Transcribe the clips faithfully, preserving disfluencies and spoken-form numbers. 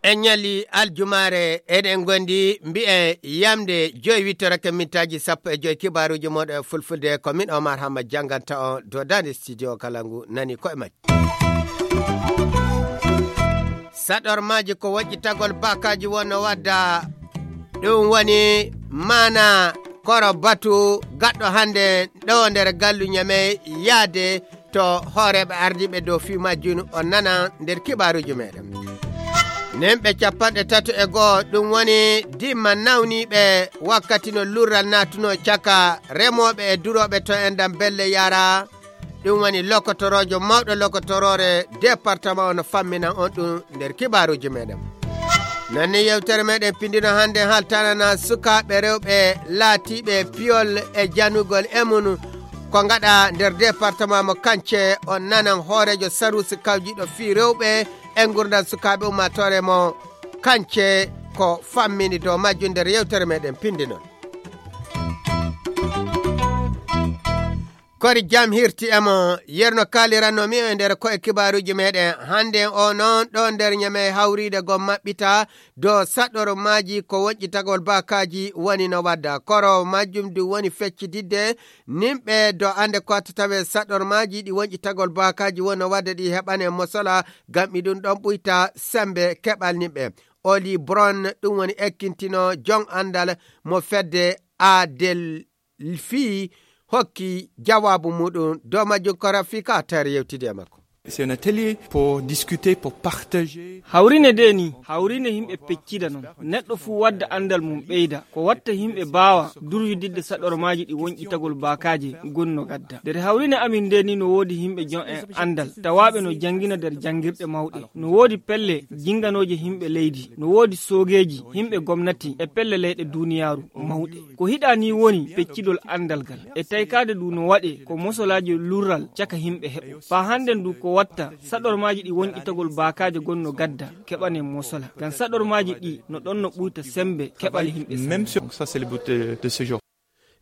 En ñalli aljumaare, eɗen ngondi mbi'en yamde joyi wittorake mintaaji sappo e joyi, kibaaruuji mooɗon e fulfulde. Ko min Omar Hamma jannganta on dow daande studio kala ngu nani koye majji. Saɗormaaji ko woƴƴitagol baakaaji wonno wadda. Ɗum woni maana koro batu gaɗɗo hannde ɗo nder gallu Ñamey yaade to hooreeɓe ardiiɓe dow fii majjum, on nana nder kibaaruuji meɗen. Nemɓe capanɗe tato e go'o, ɗum woni dimma nawniiɓe wakkati no lurral naatuno caka remooɓe e durooɓe to enɗan Belle Yara. Ɗum woni lokotoroojo mawɗo lokotoroore departement on, no fammina on ɗum nder kibaaruuji meɗen. Nanni yewtere meɗen pindino hannde haltanana sukaaɓe rewɓe laatiiɓe piyol e janugol e mum ko ngaɗa nder departement mo Kance. On nanan hooreejo saruusi kawjiiɗo fii rewɓe e ngurndan sukaaɓe ummaatoore mo Kance ko fammini dow majjum nder yewtere meɗen pindinon. Kori jam hirti e mo yerno kaaliranno mi e nder ko'e kibaaruuji meɗen. Hannde o noon ɗo nder Ñamey hawriide gom maɓɓita dow saɗormaaji ko woƴƴitagol baakaaji woni no wadda. Koro majjum du woni feccididde nimɓe do annde ko watta tawe saɗormaaji ɗi woƴƴitagol baakaaji woni no wadda ɗi heɓane mosola, ngam iɗum ɗon ɓuyta sembe keɓal nimɓe. Oli Bron ɗum woni ekkintino jon anndal mo fedde Adel fii hokki jawaabu muɗum dow majjum ko Rafika Attaher yewtidi e makko. C'est un atelier pour discuter, pour partager. Hawrine de ni, hawrine himɓe peccida non. Neɗɗo fuu wadda anndal mum ɓeyda. Ko watta himɓe baawa durwididde saɗormaaji ɗi wonƴitagol baakaaje gonno gadda. Nder hawrine amin nde ni no woodi himɓe jon en anndal, tawaaɓe no janngina nder janngirɗe mawɗe. No woodi pelle jinganooje himɓe leydi, no woodi soogeeji, himɓe gomnati e pelle leyɗe duuniyaaru mawɗe. Ko hiɗa ni woni peccitol anndal ngal. E taykaade du no waɗe ko mosolaaji lurral caka himɓe heɓo. Faa hannden du ko watta saɗormaaji ɗi wonƴitagol baakaaje gonno gadda keɓane mosola. Ngam saɗormaaji ɗi no ɗon no ɓuyta sembe keɓal himɓe sembe. Même sur ça, c'est le but de, de ce jour.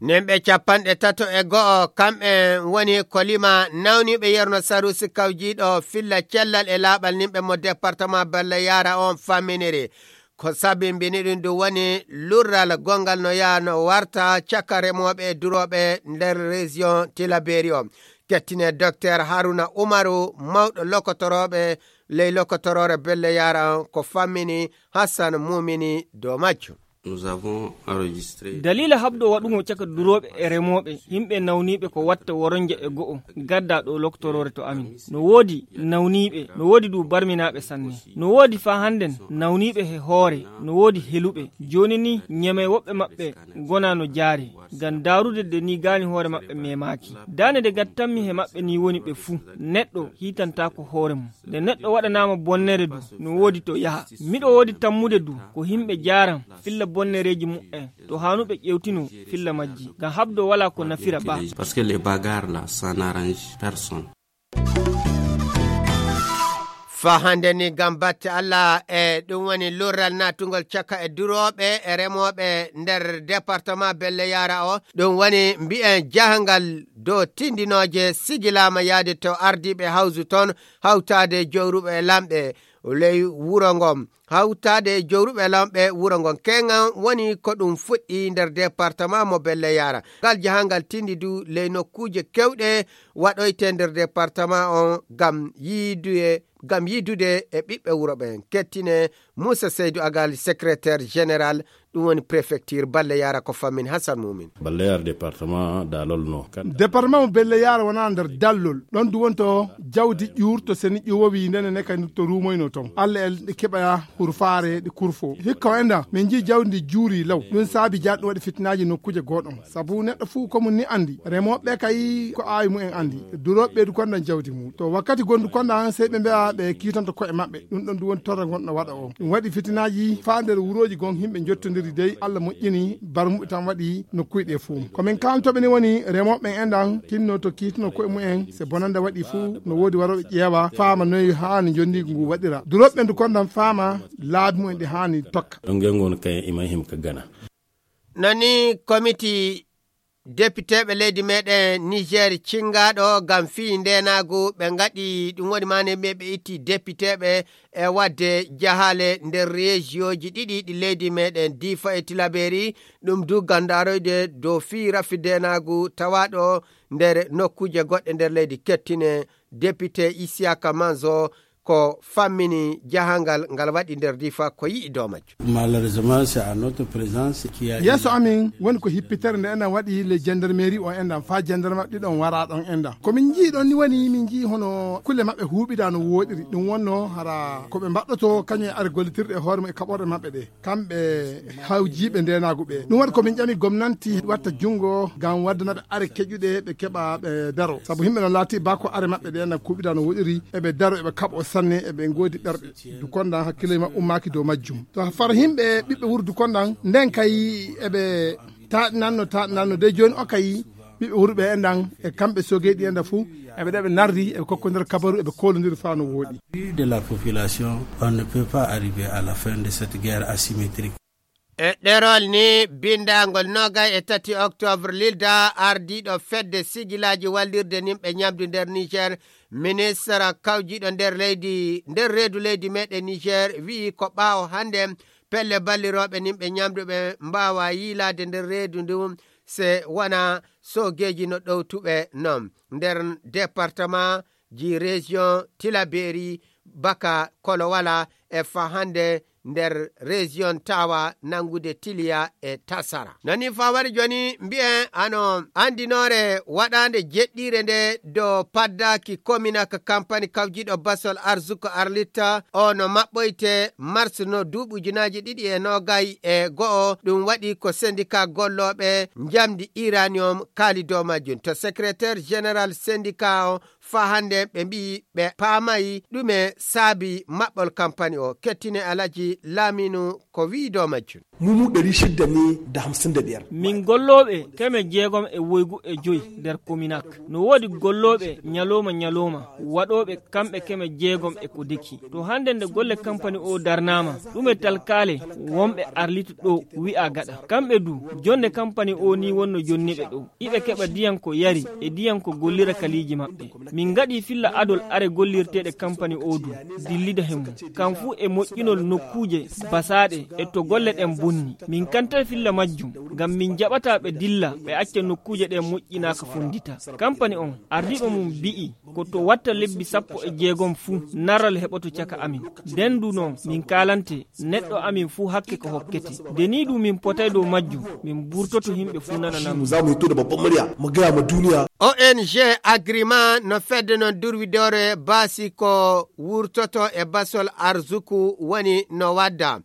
Nimɓe capanɗe tato e go'o, kamɓe woni ko lima nawniiɓe yerno saruusi kawjiiɗo filla cellal e laaɓal nimɓe mo departement Belle Yara on faminiri. Ko sabimbini ɗum du woni lurral gongal no yaa no warta caka remooɓe e durooɓe nder région Tillabéri o. Kettine Docteur Haruna Umaru, mawɗo lokotorooɓe ley lokotoroore Belle Yara on, ko fammini Hassan Mumini dow majjum. Nous avons enregistré. Daliila haɓdo waɗugo caka durooɓe e remooɓe, yimɓe nawniiɓe ko watta woronje e go'o, gadda ɗo loktoroore to amin. No woodi nawniiɓe, no woodi du barminaaɓe sanne. No woodi faa hannden nawniiɓe he hoore, no woodi heluɓe. Jooni ni, Ñamey woɓɓe maɓɓe ngona no jaari. Ngam daarude de ni gaani hoore maɓɓe memaaki. Daane de gattanmi he maɓɓe ni woni ɓe fuu. Neɗɗo hiitantaako hoore mum. Nde neɗɗo waɗanaama bonnere du, no woodi to yaha. Miɗo woodi tammude du, ko yimɓe jaaran filla bonnereeji mu'en, to haanuɓe ƴewtino filla majji. Ngam haɓdo walaa ko nafira ba. Parce que les bagarres là, ça n'arrange personne. Faa hannde ni, ngam batte Allah, e ɗum woni lurral naatungol caka e durooɓe e remooɓe nder département Belle Yara o. Ɗum woni mbi'en jahangal dow tindinooje sigilaama yaade to ardiiɓe hawsu toon, hawtaade jowruɓe e lamɓe ley wuro ngon. Hawtaade e jowruɓe lamɓe wuro ngon. Keŋan woni ko ɗum fuɗɗi nder département mo Belle Yara. Ngal jahangal tindi du ley nokkuuje kewɗe waɗoyte nder département on ngam yiiduye, ngam yiidude e ɓiɓɓe wuro ɓen. Kettine Moussa Seydou Agal, secrétaire général, ɗum woni préfecture Belle Yara, ko fammin Hassan Moumin. Belle Yara département daalol no. Kan- Département mo Belle Yara wona nder dallol. Ɗon du wonto jawdi ƴuurto seni ƴuwowi ndene ne kadi to ruumoyno ton. Allah el ɗe keɓa hurfaare ɗe kurfo. Hikka o enda, min njii jawdi ndi juuri law. Ɗum saabi jaɗ ɗum waɗi fitinaaji nokkuuje goɗɗon. Sabu neɗɗo fuu ko mum ni andi. Remooɓe kay ko aawi mumen andi. Durooɓe ɓeydu kondan jawdi mum. To wakkati gondu kondan sey ɓe mbi'a ɓe kiitanto ko'e maɓɓe. Ɗum ɗon du woni torra ngonɗo waɗa o. Ɗum waɗi fitinaaji faa nder wurooji gon himɓe njottondiri dey Allah moƴƴini barmuɓe tan waɗi nokkuuje ɗe fuu. Ko min kaalantooɓe ni woni remooɓe ɓen endan tinno to kiitino ko'e mumen. Se bonande waɗi fuu no woodi warooɓe ƴeewa faama noy haani jondiigu ngu waɗira. Durooɓe ɓen du kondan faama laabi mumen ɗi haani tokka. Ɗon ngen ngon kay ima him ka Gana. Nani komiti depiteeɓe leydi meɗen Niger cinngaaɗo ngam fii ndeenaagu, ɓe ngaɗi ɗum woni maane ɓe, ɓe itti depiteeɓe e waɗde jahaale nder reesiyooji ɗiɗi ɗi leydi meɗen Difa e Tilaberi, ɗum du ngam ndaaroyde dow fii rafi ndeenaagu tawaaɗo nder nokkuuje goɗɗe nder leydi. Kettine depite Isiyaka Manzo ko fammini jahangal ngal waɗi nder Difa ko yi'i dow majjum. Malheureusement, c'est à notre présence qui a yeeso amin woni ko hippitere nde enen waɗi le gendarmerie o enɗan fa gendarme ɗiɗon wara ɗon enɗan. Ko min njii ɗon ni woni min njii hono kulle maɓɓe huuɓida no woɗiri. Ɗum wonno hara ko ɓe mbaɗɗoto kañum e are gollitirɗe e hoore mum e kaɓorɗe maɓɓe ɗe. Kamɓe hawjiiɓe ndeenaagu ɓe. Ɗum waɗi ko min ƴami gomnanti watta junngo ngam waddanaɓe are keƴuɗe ɓe keɓa ɓe daro. Sabu yimɓe no laati ba ko are maɓɓe ɗe enɗan kuuɓida no woɗiri, eɓe daro, eɓe kaɓo sanne, eɓe ngoodi ɓerɓe. Dukondan hakkille maɓɓe ummaaki dow majjum. To far yimɓe ɓiɓɓe wuro Dukondan, nden kay eɓe taaɗinanno, taaɗinanno. De jooni o kay ɓiɓɓe wuro ɓe enɗan e kamɓe sogeyɗi enɗan fuu, eɓe ɗeɓe nardi, eɓe kokkodira kabaru, eɓe koolondiri faa no wooɗi. De la population, on ne peut pas arriver à la fin de cette guerre asymétrique. E ɗerol ni binndangol noogay e tati oktoobre, Lilda, ardiiɗo fedde sigilaaji wallirde nimɓe ñamdu nder Niger, ministre kawjiiɗo nder leydi, nder reedu leydi meɗen Niger, wi'i ko ɓaawo hannde pelle ballirooɓe nimɓe ñamdu ɓe mbaawa yiilaade nder reedu ndu, se wona soogeeji no ɗowtuɓe non. Nder département ji région Tilaberi, Baka, Kolowala e fa hannde nder région Tawa, nanngude Tiliya e Tasara. Nani fa wari jooni mbi'en ano anndinoore waɗaande jeɗɗiire nde dow paddaaki Kominak, kampani kawjiiɗo basol Arzuko Arlita o no maɓɓoyte mars no duuɓi ujunaaji ɗiɗi e noogay e go'o. Ɗum waɗi ko sendika gollooɓe njamdi uranium kaali dow majjum. To secrétaire général sendika o fa hannde ɓe mbi'i ɓe paamayi ɗume saabi maɓɓol kampani o. Kettine Alaji Laminu ko wi'i dow majjum. Mu mu ɗari shida ne da hamsin da biyar. Min gollooɓe keme jeegom e woygu e joy nder Kominak. No woodi gollooɓe ñalooma ñalooma, waɗooɓe kamɓe keme jeegom e ko deki. To hannde nde golle kampani o darnaama, ɗume talkaale wonɓe Arlit ɗo wi'a gaɗa. Kamɓe du, jonde kampani o ni wonno jonniɓe ɗo. Iɓe keɓa diyan ko yari e diyan ko gollira kaliiji maɓɓe. Min ngaɗi filla adol are gollirteeɗe kampani o du, dillida he mum. Kam fuu e moƴƴinol nokkuuje basaaɗe e to golle ɗen bonni. Min kanta filla majjum, ngam min jaɓata ɓe dilla, ɓe acca nokkuuje ɗen moƴƴinaaka fondita. Kampani on, ardiiɓe mum bi'i, ko to watta lebbi sappo e jeegom fuu, naral heɓoto caka amin. Nden du non, min kaalante, neɗɗo amin fuu hakke ko hokkete. Nde ni du min potay dow majjum, min burtoto himɓe fuu nanana min. Za mu hito da babban murya, mu gaya ma duniya. O N G Agreement no fedde non durwidoore baasi ko wurtoto e basol arzuku woni no wadda.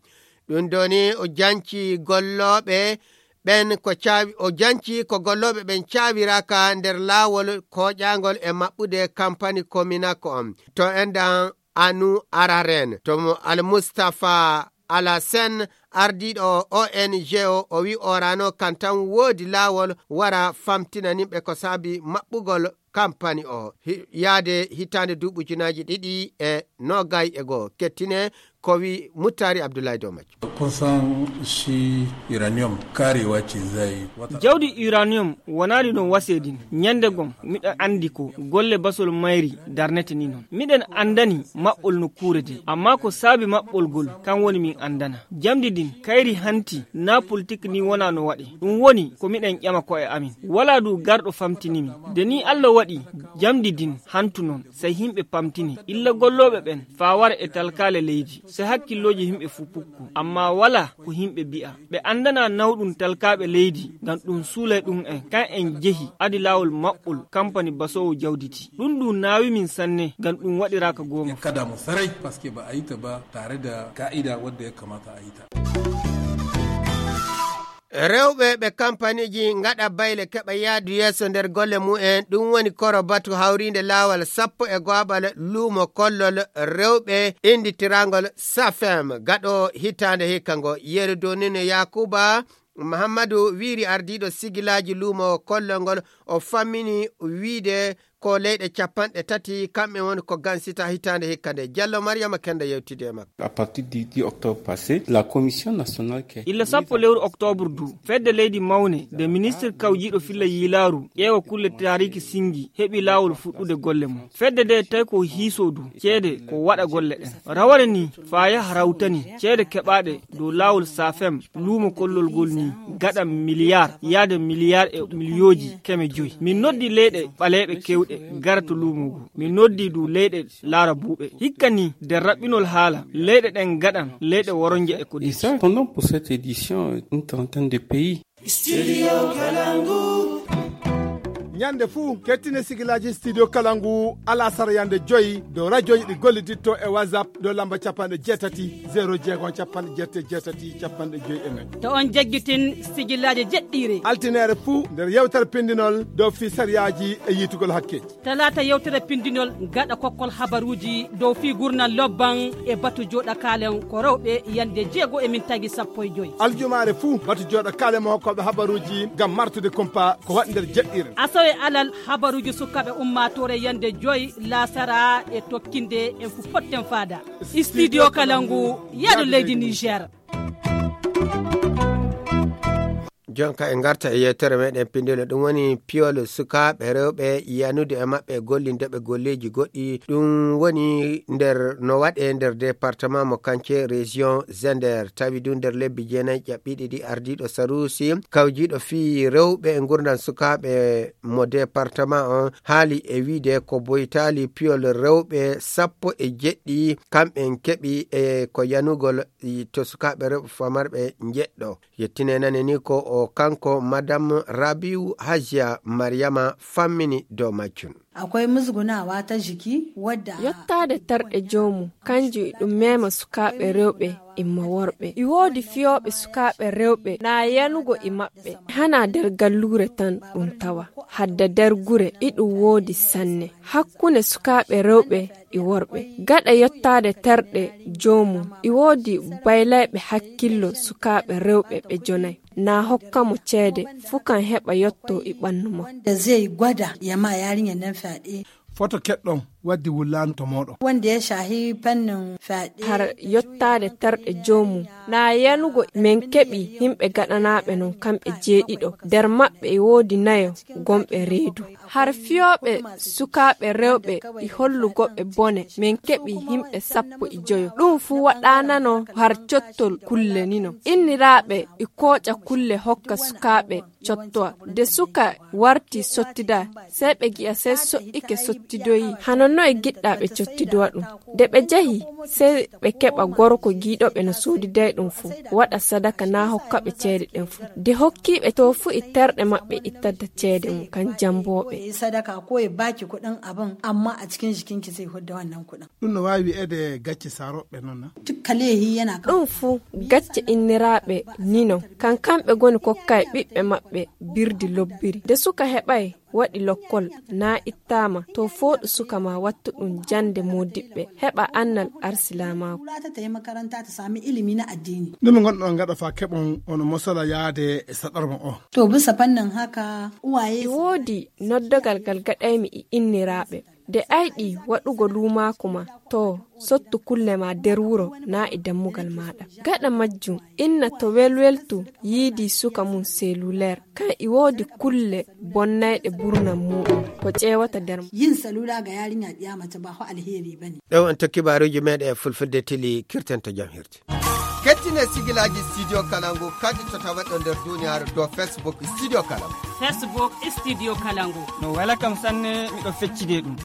Ɗum ɗo ni o janci gollooɓe ɓen ko caawi-, o janci ko gollooɓe ɓen caawiraaka nder laawol kooƴaangol e maɓɓude kampani Kominako on. To enɗan Anu Araren, to mo Al Mustafa Alasen, ardiiɗo O N G o, o wi orano kan tan woodi laawol wara famtina nimɓe ko saabi maɓɓugol kampani o. Hi-, yaade hitaande duuɓi ujunaaji ɗiɗi e noogay e goo. Kettine ko wi Muttari Abdullahi dow majjum. Kun san shi uranium karewa ce zai wata. Jawdi uranium wonaali no wasee din. Ñande gom, miɗo anndi ko golle basol mayri darnete ni non. Miɗen anndani maɓɓol nokkuure de, amma ko saabi maɓɓol gol, kan woni min anndana. Jamdi din, kayri hanti, na politik ni wona no waɗe. Ɗum woni ko miɗen ƴama ko'e amin. Walaa du garɗo famtini mi. De ni Allah waɗi jamdi din hantu non, sey himɓe pamtini. Illa gollooɓe ɓen, faa wara e talkaale leydi, sey hakkillooji himɓe fuu pukku. Amma walaa ko himɓe bi'a. Ɓe anndana nawɗum talkaaɓe leydi, ngam ɗum suulay ɗum en. Kan en jehi, adi laawol maɓɓol, kampani basoowo jawditi. Ɗum ɗum naawi min sanne, ngam ɗum waɗiraaka goonga. Ya kada mu sarai, paske ba a yi ta ba tare da ka'ida wadda ya kamata a yi ta. Rewɓe ɓe kampaniiji ngaɗa bayle keɓa yaadu yeeso nder golle mumen, ɗum woni koro batu hawriinde laawol sappo e go'aɓal luumo kollol rewɓe innditiraangol Safem gaɗo hitaande hikka ngo. Yeru Donino Yakuba Muhammadu wiiri ardiiɗo sigilaaji luumo kollol ngol, o fammini wiide ko leyɗe capanɗe tati, kamɓe woni ko gansita hitaande hikka nde. Jallo Mariama Kenda yewtidi e makko. À partir du dix octobre passé, la commission nationale qui a illa sappo lewru octobre du, fedde leydi mawne nde ministre kawjiiɗo filla yiilaaru ƴeewa kulle taariki singi heɓi laawol fuɗɗude golle mum. Fedde nde tawi ko hiiso du ceede ko waɗa golle ɗen. Raware ni faa yaha rawtani ceede keɓaaɗe dow laawol safem luumo kollol ngol ni gaɗa miliyar yaade miliyar e miliyooji keme joyi. Min noddi leyɗe ɓaleeɓe keewɗe gara to luumo ngu. Min noddi du leyɗe laara buuɓe. Hikka ni nder raɓɓinol haala, leyɗe ɗen gaɗan leyɗe woronje e ko Et ça, pendant pour cette édition, une trentaine de pays. Studio Kalangu. Ñande fuu, kettine sigilaaji Studio Kalangu, alasara yande joyi, dow rajoji ɗi golliditto e WhatsApp, dow lamba capanɗe jeetati, zéro jeegom, capanɗe jeetati, capanɗe joyi e nayi. To on jaggitin sigilaaji jeɗɗiire. Altinere fuu, nder yewtere pindinol, dow fii sariyaaji e yiitugol hakkeeji. Talaata yewtere pindinol gaɗa kokkol habaruuji dow fii gurnal lobban e batu jooɗa kaalen ko rewɓe yande jeego e min tagi sappo e joyi. Aljumaare fuu batu jooɗa kaalen mo hokkooɓe habaruuji ngam martude kumpa ko waɗi nder jeɗɗiire. Asawe alal habaruuji sukaaɓe ummaatoore yande joyi laasara e tokkinde en fu potten faada. Studio Kalangu, yaadu leydi Niger. Jonka e ngarta e yewtere meɗen pindino ɗum woni piyol sukaaɓe rewɓe yanude e maɓɓe gollinde ɓe golleeji goɗɗi. Ɗum woni nder no waɗe nder département mo Kance région Zender. Tawi du nder lebbi jeenayi ƴaɓɓiɗi ɗi ardiiɗo Sarusi kawjiiɗo fii rewɓe e ngurndan sukaaɓe mo département on haali e wiide ko boytaali piyol rewɓe sappo e jeɗɗi kamɓen keɓi e ko yanugol to sukaaɓe rewɓe famarɓe njeɗɗo. Yettine nane ni ko o kanko Madame Rabiu Hajiya Mariama fammini dow majjum. Akwai musgunawa ta jiki wadda. Yottaade terɗe joomum, kanjum e ɗum mema sukaaɓe rewɓe imma worɓe. E woodi fiyooɓe sukaaɓe rewɓe na yanugo e maɓɓe. Hana nder galluure tan ɗum tawa. Hadda nder gure e ɗum woodi sanne. Hakkunde sukaaɓe rewɓe e worɓe. Gaɗa yottaade terɗe joomum, e woodi baylayɓe hakkillo sukaaɓe rewɓe ɓe jonay. Na hokka mo ceede, fuu kan heɓa yotto e ɓannu makko. Wanda zai gwada ya ma yarinyar nan fyaɗe. Foto keɗɗon waddi wullaandu to mooɗon. Wanda ya shahi fannin fyaɗe. Har yottaade terɗe joomum. Na yanugo men keɓi yimɓe gaɗanaaɓe non kamɓe jeeɗiɗo. Nder maɓɓe e woodi nayo gomɓe reedu. Har fiyooɓe sukaaɓe rewɓe e hollugoɓe bone, men keɓi yimɓe sappo e joyo. Ɗum fuu waɗaanano har cottol kulle nino. Inniraaɓe e kooƴa kulle hokka sukaaɓe cottowa. De suka warti sottida, sey ɓe gi'a sey so'ike sottidoyi. Hano noye giɗɗaa ɓe cottidowa ɗum? De ɓe jahi, sey ɓe keɓa gorko giiɗo ɓe no soodiday ɗum fuu, waɗa sadaka na hokka ɓe ceede ɗen fuu. De hokkiiɓe to fuu e terɗe maɓɓe ittata ceede mum kan jambooɓe. Sadaka ko ya baki kuɗin abin, amma a cikin jikinki zai hudda wannan kuɗin. Ɗum no waawi wi'eede gacce saarooɓe noon na? Dukka leehi yana kan. Ɗum fuu gacce inniraaɓe nino, kan kamɓe goni kokkay ɓiɓɓe maɓɓe birdi lobbiri. De suka heɓay waɗi lokkol, na ittaama, to fooɗu suka ma wattu ɗum jannde moodiɓɓe, heɓa annal arsilamaako. Wula ta tafi makaranta ta sami ilimi na addini. Ɗume ngonɗon ngaɗa faa keɓon ono mosala yaade e saɗarma o? To bisa fannin haka, uwaye. E woodi noddogal gal gaɗaymi e inniraaɓe. De ayɗi waɗugo luumaaku ma, to sottu kulle ma nder wuro na e dammugal maaɗa. Gaɗa majjum, inna to welweltu yiidi suka mum seluleer. Kan e woodi kulle bonnayɗe burnan muuɗum ko ƴeewata nder mum. Yin salula ga yarinya ɗiya mace ba ho alheri ba ne. Ɗo on to kibaaruuji meeɗen e fulfulde tili kirten to jam hirti. Kettine sigilaaji Studio Kalangu kaɗitotawa ɗo nder duniyaaru dow Facebook Studio Kalangu. Facebook Studio Kalangu. No wela kam sanne, miɗo feccide ɗum.